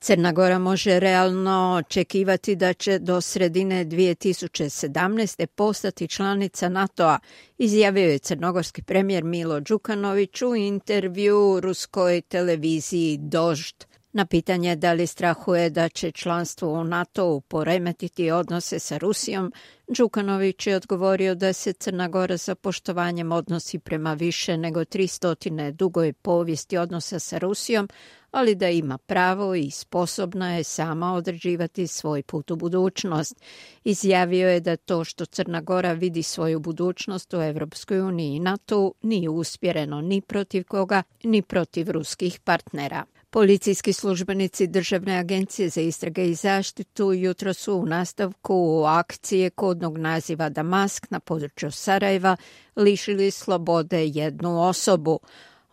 Crna Gora može realno očekivati da će do sredine 2017. postati članica NATO-a, izjavio je crnogorski premijer Milo Đukanović u intervju ruskoj televiziji Dožd. Na pitanje da li strahuje da će članstvo u NATO-u poremetiti odnose sa Rusijom, Đukanović je odgovorio da se Crna Gora sa poštovanjem odnosi prema više nego 300 dugoj povijesti odnosa sa Rusijom, ali da ima pravo i sposobna je sama određivati svoj put u budućnost. Izjavio je da to što Crna Gora vidi svoju budućnost u Evropskoj uniji i NATO nije usmjereno ni protiv koga, ni protiv ruskih partnera. Policijski službenici Državne agencije za istrage i zaštitu jutro su u nastavku akcije kodnog naziva Damask na području Sarajeva lišili slobode jednu osobu.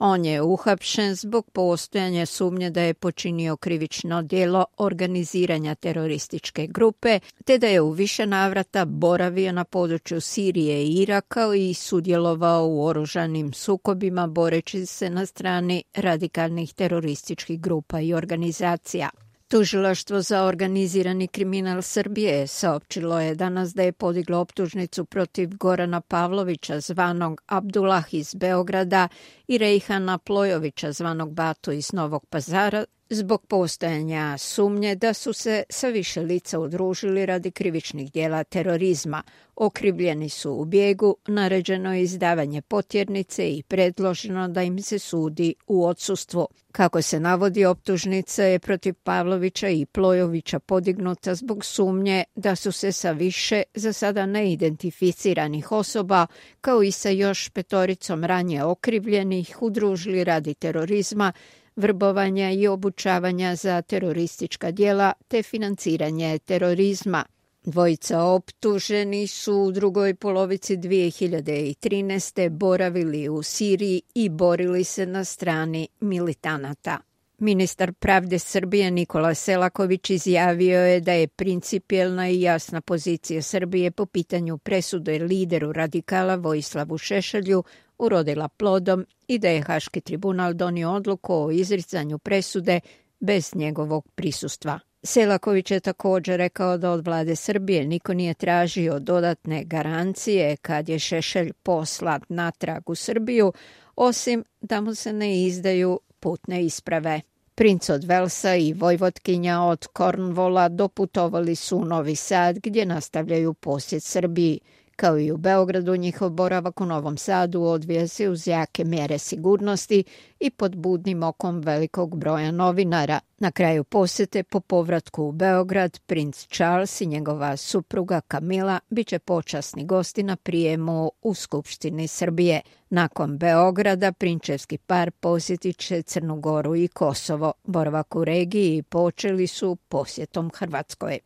On je uhapšen zbog postojanja sumnje da je počinio krivično djelo organiziranja terorističke grupe, te da je u više navrata boravio na području Sirije i Iraka i sudjelovao u oružanim sukobima boreći se na strani radikalnih terorističkih grupa i organizacija. Tužilaštvo za organizirani kriminal Srbije saopćilo je danas da je podiglo optužnicu protiv Gorana Pavlovića zvanog Abdullah iz Beograda i Rejhana Plojovića zvanog Batu iz Novog Pazara zbog postojanja sumnje da su se sa više lica udružili radi krivičnih djela terorizma. Okrivljeni su u bijegu, naređeno je izdavanje potjernice i predloženo da im se sudi u odsustvu. Kako se navodi, optužnica je protiv Pavlovića i Plojovića podignuta zbog sumnje da su se sa više za sada neidentificiranih osoba, kao i sa još 5 ranije okrivljenih, udružili radi terorizma, vrbovanja i obučavanja za teroristička djela te financiranje terorizma. Dvojica optuženi su u drugoj polovici 2013. boravili u Siriji i borili se na strani militanata. Ministar pravde Srbije Nikola Selaković izjavio je da je principijelna i jasna pozicija Srbije po pitanju presude lideru radikala Vojislavu Šešelju urodila plodom i da je Haški tribunal donio odluku o izricanju presude bez njegovog prisustva. Selaković je također rekao da od vlade Srbije niko nije tražio dodatne garancije kad je Šešelj poslat natrag u Srbiju, osim da mu se ne izdaju putne isprave. Princ od Velsa i vojvotkinja od Cornwalla doputovali su u Novi Sad gdje nastavljaju posjet Srbiji. Kao i u Beogradu, njihov boravak u Novom Sadu odvija se uz jake mjere sigurnosti i pod budnim okom velikog broja novinara. Na kraju posjete po povratku u Beograd, princ Charles i njegova supruga Kamila bit će počasni gosti na prijemu u Skupštini Srbije. Nakon Beograda, prinčevski par posjetit će Crnu Goru i Kosovo. Boravak u regiji počeli su posjetom Hrvatskoj.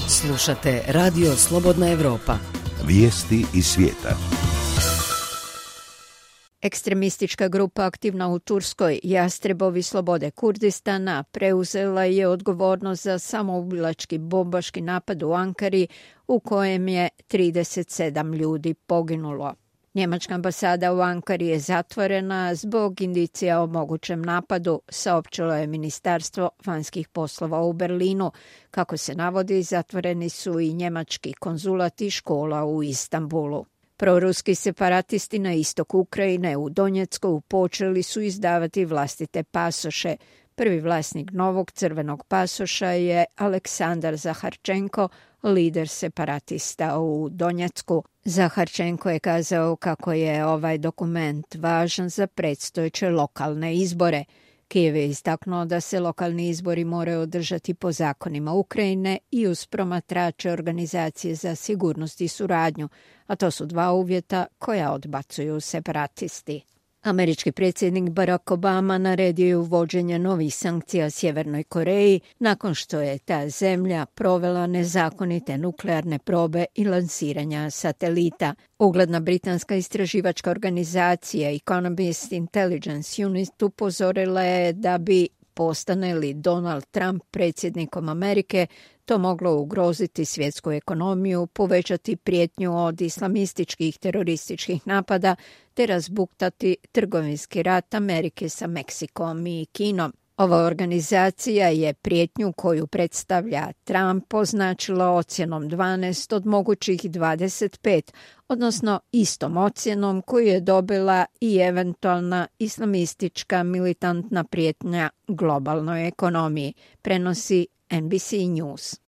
Slušate Radio Slobodna Evropa. Vijesti iz svijeta. Ekstremistička grupa aktivna u Turskoj, Jastrebovi slobode Kurdistana, preuzela je odgovornost za samoubilački bombaški napad u Ankari u kojem je 37 ljudi poginulo. Njemačka ambasada u Ankari je zatvorena zbog indicija o mogućem napadu, saopćilo je Ministarstvo vanjskih poslova u Berlinu. Kako se navodi, zatvoreni su i njemački konzulat i škola u Istanbulu. Proruski separatisti na istoku Ukrajine u Donjecku počeli su izdavati vlastite pasoše. Prvi vlasnik novog crvenog pasoša je Aleksandar Zaharčenko, lider separatista u Donjecku. Zaharčenko je kazao kako je ovaj dokument važan za predstojeće lokalne izbore. Kijev je istaknuo da se lokalni izbori moraju održati po zakonima Ukrajine i uz promatrače Organizacije za sigurnost i suradnju, a to su dva uvjeta koja odbacuju separatisti. Američki predsjednik Barack Obama naredio je uvođenje novih sankcija Sjevernoj Koreji nakon što je ta zemlja provela nezakonite nuklearne probe i lansiranja satelita. Ugledna britanska istraživačka organizacija Economist Intelligence Unit upozorila je da bi, postane li Donald Trump predsjednikom Amerike, to moglo ugroziti svjetsku ekonomiju, povećati prijetnju od islamističkih terorističkih napada te razbuktati trgovinski rat Amerike sa Meksikom i Kinom. Ova organizacija je prijetnju koju predstavlja Trump označila ocjenom 12 od mogućih 25, odnosno istom ocjenom koju je dobila i eventualna islamistička militantna prijetnja globalnoj ekonomiji, prenosi NBC News.